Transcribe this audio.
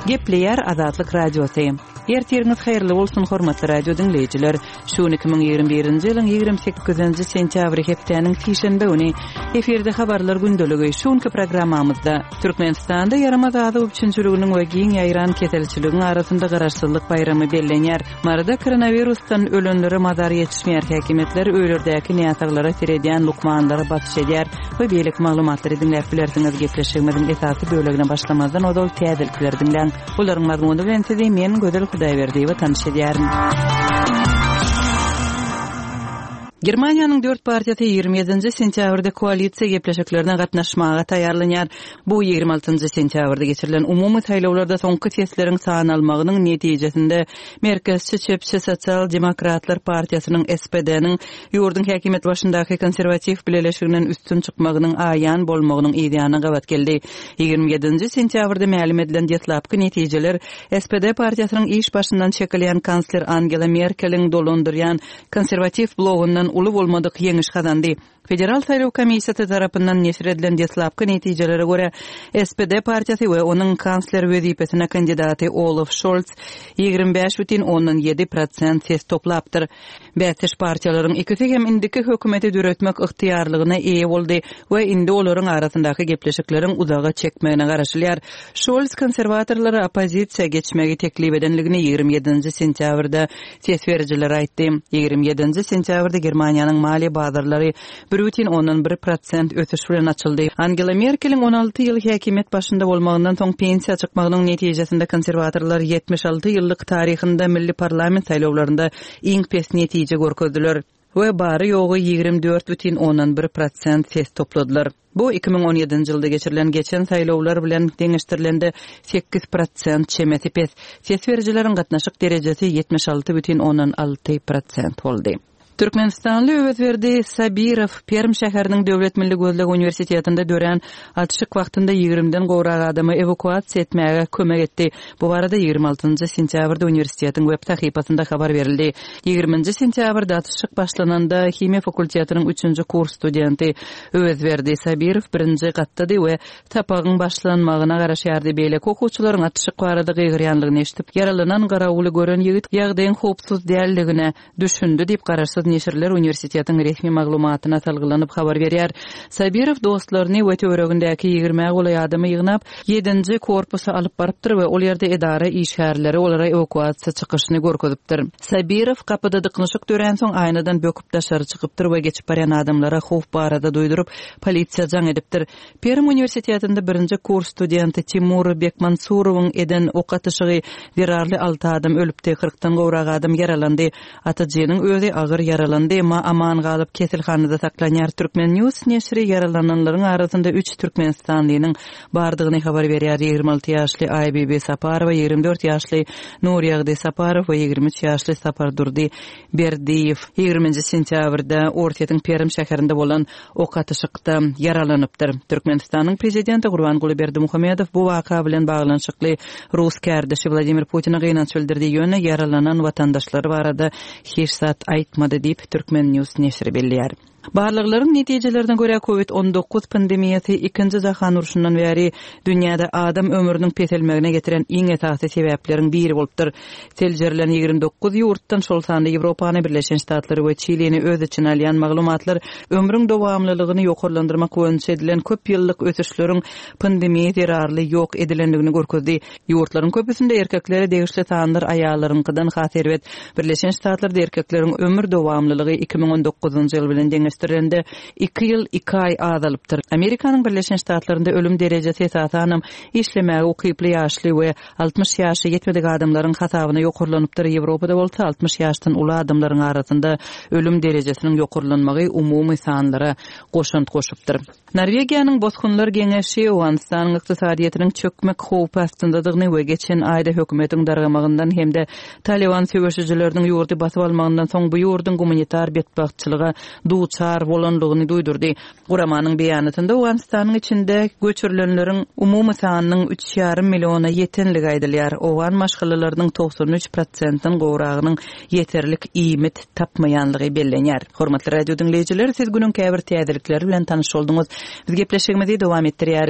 Gepleýär Azatlyk Radiosy. Ertiriňiz haýyrly bolsun, hormatly radio diňleýjiler. Şu gün 2021-nji ýylyň 28-nji sentýabry hepdäniň sişenbe güni. Efirde habarlar gündeligi. Şu günki programmamyzda Türkmenistanda ýaramaz azyk üpjünçiliginiň we giň ýaýran keselçiligiň arasynda Garaşsyzlyk baýramy bellenýär. Maryda koronawirusdan ölenlere mazar ýetişmeýär, häkimiýetler öýlerdäki näsaglara seredýän lukmanlara basyş edýär we beýleki maglumatlary diňläp bilersiňiz. Gepleşigimiziň esasy bölegine başlamazdan ozal täzelikleri diňläň. Olaryň mazmuny bilen sizi men, Gözel Hudaýberdiýewa tanyş edýärin. Germaniýanyň dört partiýasy 27-nji sentýabrda koalisiýa gepleşiklerine gatnaşmaga taýýarlanýar. Bu 26-njy sentýabrda geçirilen umumy saýlawlarda soňky sesleriň sanalmagynyň netijesinde merkezçi çepçi Sosial demokratlar partiýasynyň, SPD-niň, ýurduň häkimiýet başyndaky konserwatiw bileleşiginden üstün çykmagynyň aýan bolmagynyň yzýanyna gabat geldi. 27-nji sentýabrda mälim edilen deslapky netijeler SPD partiýasynyň iş başyndan çekilýän kansler Angela Merkeliň dolandyrýan Konserwatiw blogyndan uly bolmadyk ýeňiş gazandy. Federal saýlaw komissiýasy tarapyndan neşir edilen deslapky netijelere görä, SPD partiýasy we onuň kansler wezipesine kandidaty Olaf Şolz 25,7 prosent ses toplapdyr. Bäsdeş partiýalaryň ikisi hem indiki hökümeti döretmek ygtyýarlygyna eýe boldy we indi olaryň arasyndaky gepleşikleriň uzaga çekmegine garaşylýar. Şolz konserwatorlara oppozisiýa geçmegi teklip edenligini 27-nji sentýabrda Ses berijiler aýtdy. 27-nji sentýabrda Germaniýanyň maliýe bazarlary 1,1 prosent ösüş bilen açyldy. Angela Merkeliň 16 ýyl häkimiýet başynda bolmagyndan soň pensiýa çykmagynyň netijesinde konserwatorlar 76 ýyllyk taryhynda milli parlament saýlawlarynda iň pes netije görkezdiler we bary-ýogy 24,1 prosent ses topladylar. Bu 2017-nji ýylda geçirilen geçen saýlawlar bilen deňeşdirilende 8 prosent çemesi pes. Ses berijileriň gatnaşyk derejesi 76,6 prosent boldy. Türkmenistanly Öwezberdi Sabirow Perm şäheriniň Döwlet milli gözleg uniwersitetinde dörän atyşyk wagtynda ýigrimden gowrak adamy ewakuasiýa etmäge kömek etdi. Bu barada 26-njy sentýabrda uniwersitetiň web sahypasynda habar berildi. Ýigriminji sentýabrda atyşyk başlananda himiýa fakultetiniň üçünji kurs studenti Öwezberdi Sabirow birinji gatdady we sapagyň başlanmagyna garaşýardy. Beýleki okuwçylaryň atyşyk barada gygyrýanlygyny eşidip, ýaralanan garawuly gören ýigit ýagdaýyň howpsuz däldigine düşündi diýip, garaşsyz neşirler uniwersitetiň resmi maglumatyna salgylanyp habar berýär. Sabirow dostlaryny we töweregindäki ýigrimä golaý adamy ýygnap, ýedinji korpusa alyp barypdyr we ol ýerde edara işgärleri olara ewakuasiýa çykyşyny görkezipdir. Sabirow gapyda dyknyşyk döränsoň aýnadan böküp daşary çykypdyr we geçip barýan adamlara howp barada duýduryp, polisiýa jaň edipdir. Perm uniwersitetinde birinji kurs studenti Timur Bekmansurowyň eden ok atyşygy zerarly alty adam ölüpdi, kyrkdan gowrak adam ýaralandy. Atyjynyň özi agyr ýaralandy, emma aman galyp, keselhanada saklanýar. Turkmen. News neşiri ýaralananlaryň arasynda üç türkmenistanlynyň bardygyny habar berýär, 26 ýaşly Aýbibi Saparowa, 24 ýaşly Nurýagdy Saparow we 23 ýaşly Sapardurdy Berdiýew. Ýigriminji sentýabrda Orsýetiň Perm şäherinde bolan ok atyşykda ýaralanypdyr. Türkmenistanyň Prezidenti Gurbanguly Berdimuhamedow bu waka bilen baglanyşykly rus kärdeşi Wladimir Putine gynanç bildirdi, ýöne ýaralanan watandaşlary barada hiç zat aýtmady diýip, Turkmen. News neşiri belleýär. Barlaglaryň netijelerine görä, Covid 19 pandemiýasy Ikinji jahan urşundan bäri dünýäde adam ömrüniň peselmegine getiren iň esasy sebäpleriň biri bolupdyr. Seljerilen 29 ýurtdan, şol sanda Ýewropany, Birleşen Ştatlary we Çilini öz içine alýan maglumatlar ömrüň dowamlylygyny ýokarlandyrmak boýunça edilen köp ýyllyk ösüşleriň pandemiýa zerarly ýok edilendigini görkezdi. Ýurtlaryň köpüsinde erkeklere degişli sanlar aýallaryňkydan has erbet. Birleşen Ştatlarda erkekleriň ömür dowamlylygy 2019-njy ýyl bilen deňeşdirilende iki ýyl iki aý azalypdyr. Amerikanyň Birleşen Ştatlarynda ölüm derejesi esasanam işlemäge ukyply ýaşly we 60 ýaşa ýetmedik adamlaryň hasabyna ýokarlanypdyr, Ýewropada bolsa 60 ýaşdan uly adamlaryň arasynda ölüm derejesiniň ýokarlanmagy umumy sanlara goşant goşupdyr. Norwegiýanyň Bosgunlar geňeşi Owganystanyň ykdysadyýetiniň çökmek howpy astyndadygyny we geçen aýda hökümetiň dargamagyndan hem-de Talyban söweşijileriniň ýurdy basyp almagyndan soň bu ýurduň gumanitar betbagtçylyga duçar bolandygyny duýdurdy. Guramanyň beýanatynda Owganystanyň içinde göçürilenleriň umumy sanynyň üç ýarym milliona ýetenligi aýdylýar. Owgan maşgalalarynyň 93 prosentden gowragynyň ýeterlik iýmit tapmaýanlygy bellenýär. Hormatly radio diňleýjiler, siz günüň käbir täzelikleri bilen tanyş bolduňyz. Biz gepleşigimizi dowam etdirýäris.